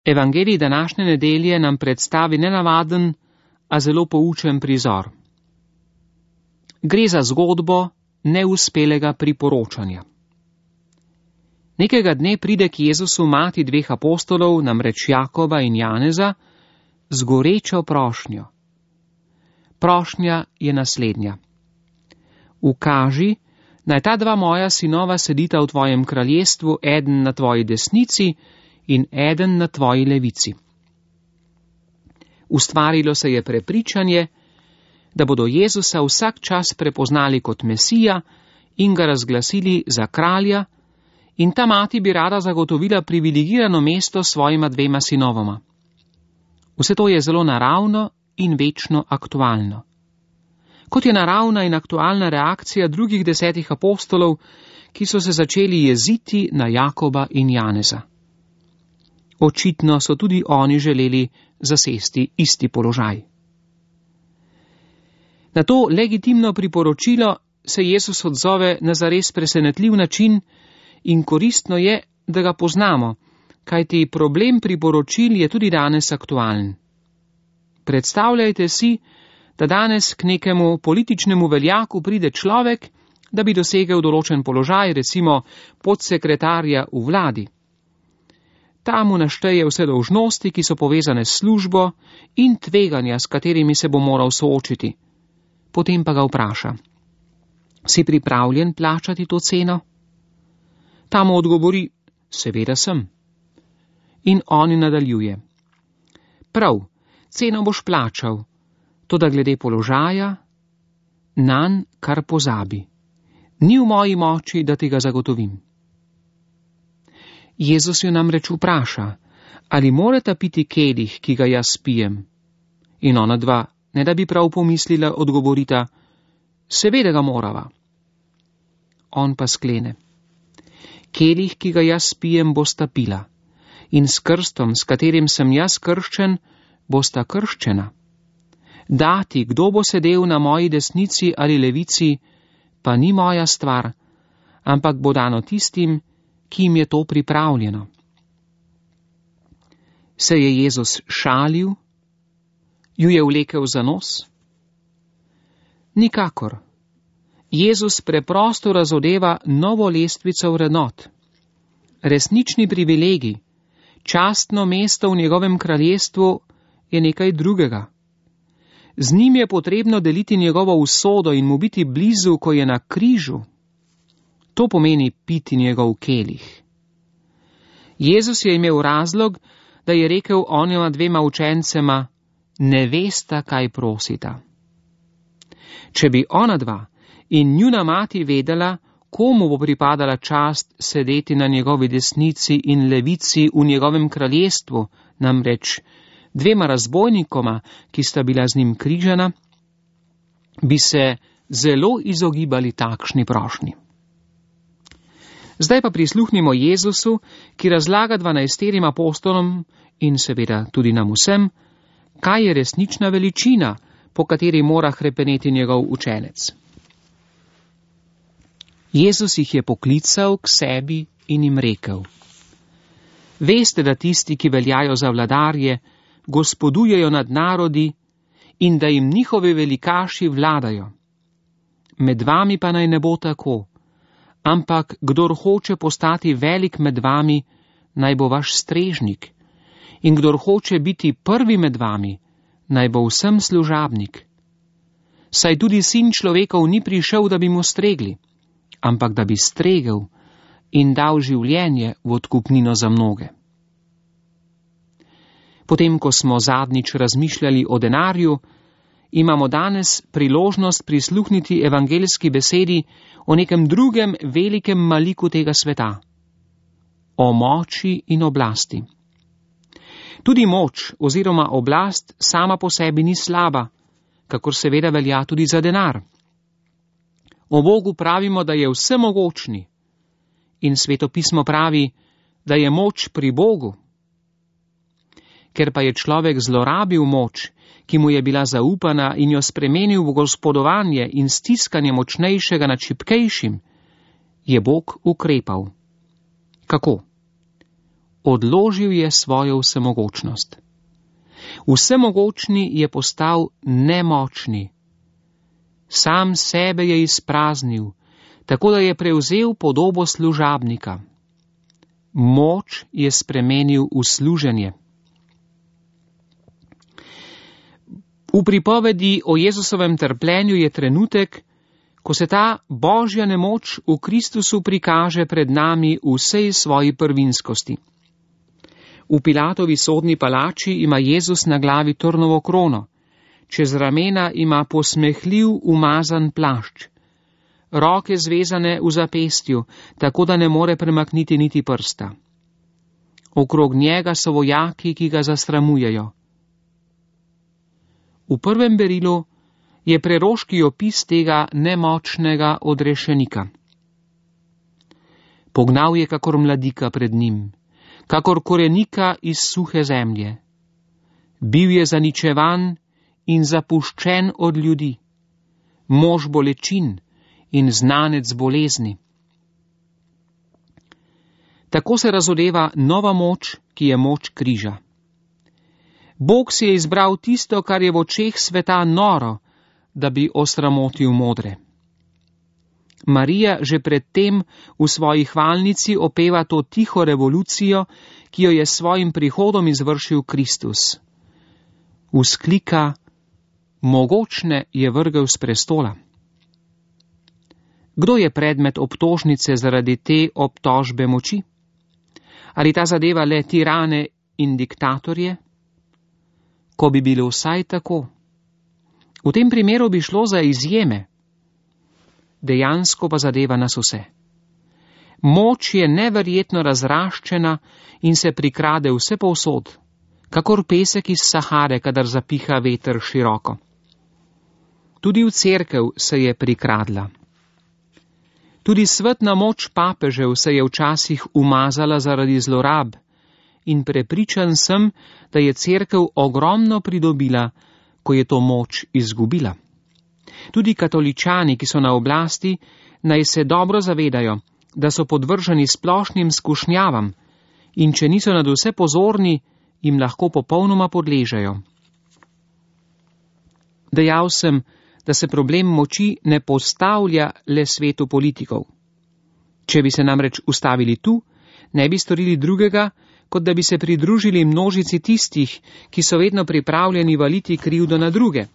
Evangelij današnje nedelje nam predstavi nenavaden, a zelo poučen prizor. Gre za zgodbo neuspelega priporočanja. Nekega dne pride k Jezusu mati dveh apostolov, namreč Jakoba in Janeza, z gorečo prošnjo. Prošnja je naslednja. Ukaži, naj ta dva moja sinova sedita v tvojem kraljestvu, eden na tvoji desnici in eden na tvoji levici. Ustvarilo se je prepričanje, da bodo Jezusa vsak čas prepoznali kot Mesija in ga razglasili za kralja, in ta mati bi rada zagotovila privilegirano mesto svojima dvema sinovoma. Vse to je zelo naravno in večno aktualno. Kot je naravna in aktualna reakcija drugih 10 apostolov, ki so se začeli jeziti na Jakoba in Janeza. Očitno so tudi oni želeli zasesti isti položaj. Na to legitimno priporočilo se Jezus odzove na zares presenetljiv način in koristno je, da ga poznamo, kajti problem priporočil je tudi danes aktualen. Predstavljajte si, da danes k nekemu političnemu veljaku pride človek, da bi dosegel določen položaj, recimo podsekretarja v vladi. Ta mu našteje vse dolžnosti, ki so povezane s službo, in tveganja, s katerimi se bo moral soočiti. Potem pa ga vpraša: si pripravljen plačati to ceno? Ta mu odgovori: seveda sem. In on nadaljuje: prav, ceno boš plačal, toda glede položaja, nanj kar pozabi. Ni v moji moči, da ti ga zagotovim. Jezus jo namreč vpraša, ali morata piti kelih, ki ga jaz pijem. In ona dva, ne da bi prav pomislila, odgovorita: seveda ga morava. On pa sklene: kelih, ki ga jaz pijem, bosta pila, in s krstom, s katerim sem jaz krščen, bosta krščena. Dati, kdo bo sedel na moji desnici ali levici, pa ni moja stvar, ampak bo dano tistim, ki jim je to pripravljeno. Se je Jezus šalil? Ju je vlekel za nos? Nikakor. Jezus preprosto razodeva novo lestvico vrednot. Resnični privilegij, častno mesto v njegovem kraljestvu je nekaj drugega. Z njim je potrebno deliti njegovo usodo in mu biti blizu, ko je na križu. To pomeni piti njegov kelih. Jezus je imel razlog, da je rekel onima dvema učencema: ne vesta, kaj prosita. Če bi ona dva in njuna mati vedela, komu bo pripadala čast sedeti na njegovi desnici in levici v njegovem kraljestvu, namreč dvema razbojnikoma, ki sta bila z njim križana, bi se zelo izogibali takšni prošnji. Zdaj pa prisluhnimo Jezusu, ki razlaga 12 apostolom in seveda tudi nam vsem, kaj je resnična veličina, po kateri mora hrepeneti njegov učenec. Jezus jih je poklical k sebi in jim rekel: veste, da tisti, ki veljajo za vladarje, gospodujejo nad narodi in da jim njihovi velikaši vladajo. Med vami pa naj ne bo tako, ampak kdor hoče postati velik med vami, naj bo vaš strežnik, in kdor hoče biti prvi med vami, naj bo vsem služabnik. Saj tudi sin človekov ni prišel, da bi mu stregli, ampak da bi stregel in dal življenje v odkupnino za mnoge. Potem, ko smo zadnjič razmišljali o denarju, imamo danes priložnost prisluhniti evangeljski besedi o nekem drugem velikem maliku tega sveta, o moči in oblasti. Tudi moč oziroma oblast sama po sebi ni slaba, kakor seveda velja tudi za denar. O Bogu pravimo, da je vsemogočni, in Sveto pismo pravi, da je moč pri Bogu. Ker pa je človek zlorabil moč, ki mu je bila zaupana, in jo spremenil v gospodovanje in stiskanje močnejšega nad šibkejšim, je Bog ukrepal. Kako? odložil je svojo vsemogočnost. Vsemogočni je postal nemočni. Sam sebe je izpraznil, tako da je prevzel podobo služabnika. Moč je spremenil v služenje. V pripovedi o Jezusovem trpljenju je trenutek, ko se ta božja nemoč v Kristusu prikaže pred nami v vsej svoji prvinskosti. V Pilatovi sodni palači ima Jezus na glavi trnovo krono, čez ramena ima posmehljiv umazan plašč, roke zvezane v zapestju, tako da ne more premakniti niti prsta. Okrog njega so vojaki, ki ga zasramujejo. V prvem berilu je preroški opis tega nemočnega odrešenika. Pognal je kakor mladika pred njim, kakor korenika iz suhe zemlje. Bil je zaničevan in zapuščen od ljudi, mož bolečin in znanec bolezni. Tako se razodeva nova moč, ki je moč križa. Bog si je izbral tisto, kar je v očeh sveta noro, da bi osramotil modre. Marija že predtem v svoji hvalnici opeva to tiho revolucijo, ki jo je s svojim prihodom izvršil Kristus. Vzklika: mogočne je vrgel s prestola. Kdo je predmet obtožnice zaradi te obtožbe moči? Ali ta zadeva le tirane in diktatorje? Ko bi bilo vsaj tako. V tem primeru bi šlo za izjeme. Dejansko pa zadeva nas vse. Moč je neverjetno razraščena in se prikrade vse povsod, kakor pesek iz Sahare, kadar zapiha veter široko. Tudi v cerkev se je prikradla. Tudi svetna moč papežev se je včasih umazala zaradi zlorab in prepričan sem, da je cerkev ogromno pridobila, ko je to moč izgubila. Tudi katoličani, ki so na oblasti, naj se dobro zavedajo, da so podvrženi splošnim skušnjavam in če niso nad vse pozorni, jim lahko popolnoma podležejo. Dejal sem, da se problem moči ne postavlja le svetu politikov. Če bi se namreč ustavili tu, ne bi storili drugega, kot da bi se pridružili množici tistih, ki so vedno pripravljeni valiti krivdo na druge.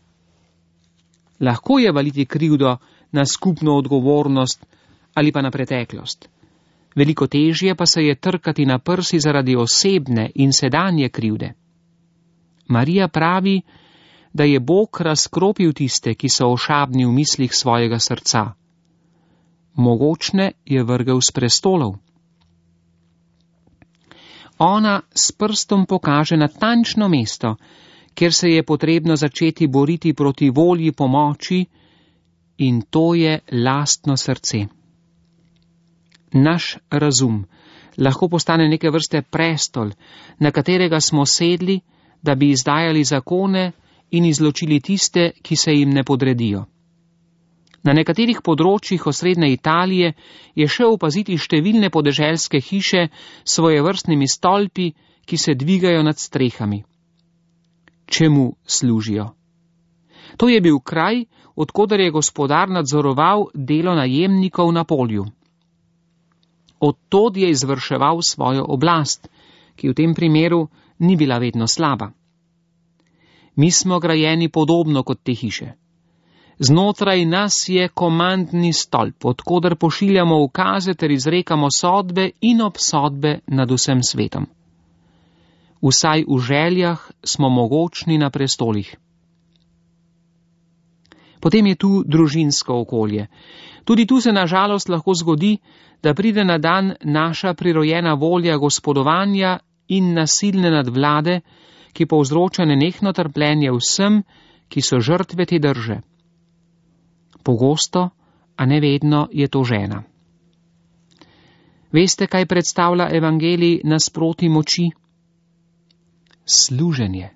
Lahko je valiti krivdo na skupno odgovornost ali pa na preteklost. Veliko težje pa se je trkati na prsi zaradi osebne in sedanje krivde. Marija pravi, da je Bog razkropil tiste, ki so ošabni v mislih svojega srca. Mogočne je vrgel s prestolov. Ona s prstom pokaže natančno mesto, kjer se je potrebno začeti boriti proti volji po moči, in to je lastno srce. Naš razum lahko postane neke vrste prestol, na katerega smo sedli, da bi izdajali zakone in izločili tiste, ki se jim ne podredijo. Na nekaterih področjih osrednje Italije je še opaziti številne podeželske hiše s svojevrstnimi stolpi, ki se dvigajo nad strehami. Čemu služijo? To je bil kraj, od koder je gospodar nadzoroval delo najemnikov na polju. Od tod je izvrševal svojo oblast, ki v tem primeru ni bila vedno slaba. Mi smo grajeni podobno kot te hiše. Znotraj nas je komandni stolp, od koder pošiljamo ukaze ter izrekamo sodbe in obsodbe nad vsem svetom. Vsaj v željah smo mogočni na prestolih. Potem je tu družinsko okolje. Tudi tu se na žalost lahko zgodi, da pride na dan naša prirojena volja gospodovanja in nasilne nadvlade, ki povzroča nenehno trpljenje vsem, ki so žrtve te drže. Pogosto, a ne vedno, je to žena. Veste, kaj predstavlja evangelij nasproti moči? Služenje.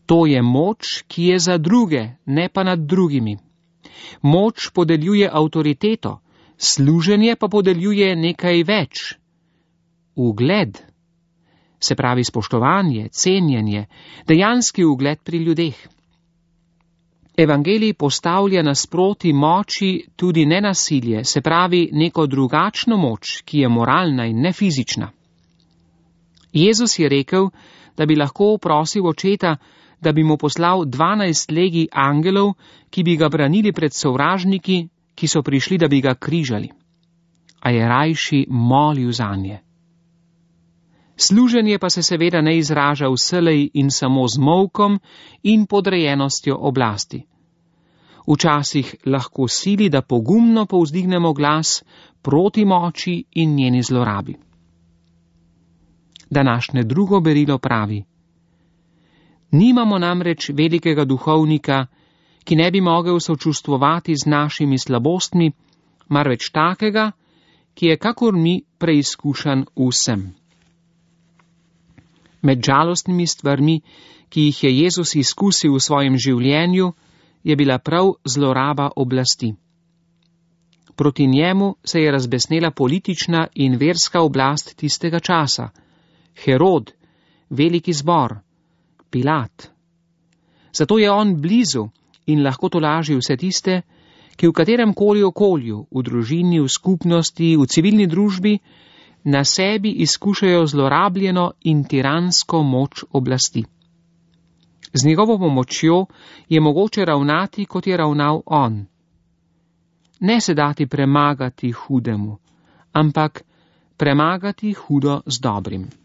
To je moč, ki je za druge, ne pa nad drugimi. Moč podeljuje avtoriteto, služenje pa podeljuje nekaj več. ugled, se pravi spoštovanje, cenjenje, dejanski ugled pri ljudeh. Evangelij postavlja nasproti moči tudi nenasilje, se pravi neko drugačno moč, ki je moralna in ne fizična. Jezus je rekel, da bi lahko prosil očeta, da bi mu poslal 12 legij angelov, ki bi ga branili pred sovražniki, ki so prišli, da bi ga križali. A je rajši molil zanje. Služenje pa se seveda ne izraža vselej in samo z molkom in podrejenostjo oblasti. Včasih lahko sili, da pogumno povzdignemo glas proti moči in njeni zlorabi. Današnje drugo berilo pravi: nimamo namreč velikega duhovnika, ki ne bi mogel sočustvovati z našimi slabostmi, marveč takega, ki je kakor mi preizkušan vsem. Med žalostnimi stvarmi, ki jih je Jezus izkusil v svojem življenju, je bila prav zloraba oblasti. Proti njemu se je razbesnela politična in verska oblast tistega časa, Herod, veliki zbor, Pilat. Zato je on blizu in lahko tolaži vse tiste, ki v katerem koli okolju, v družini, v skupnosti, v civilni družbi, na sebi izkušajo zlorabljeno in tiransko moč oblasti. Z njegovo pomočjo je mogoče ravnati, kot je ravnal on. Ne se dati premagati hudemu, ampak premagati hudo z dobrim.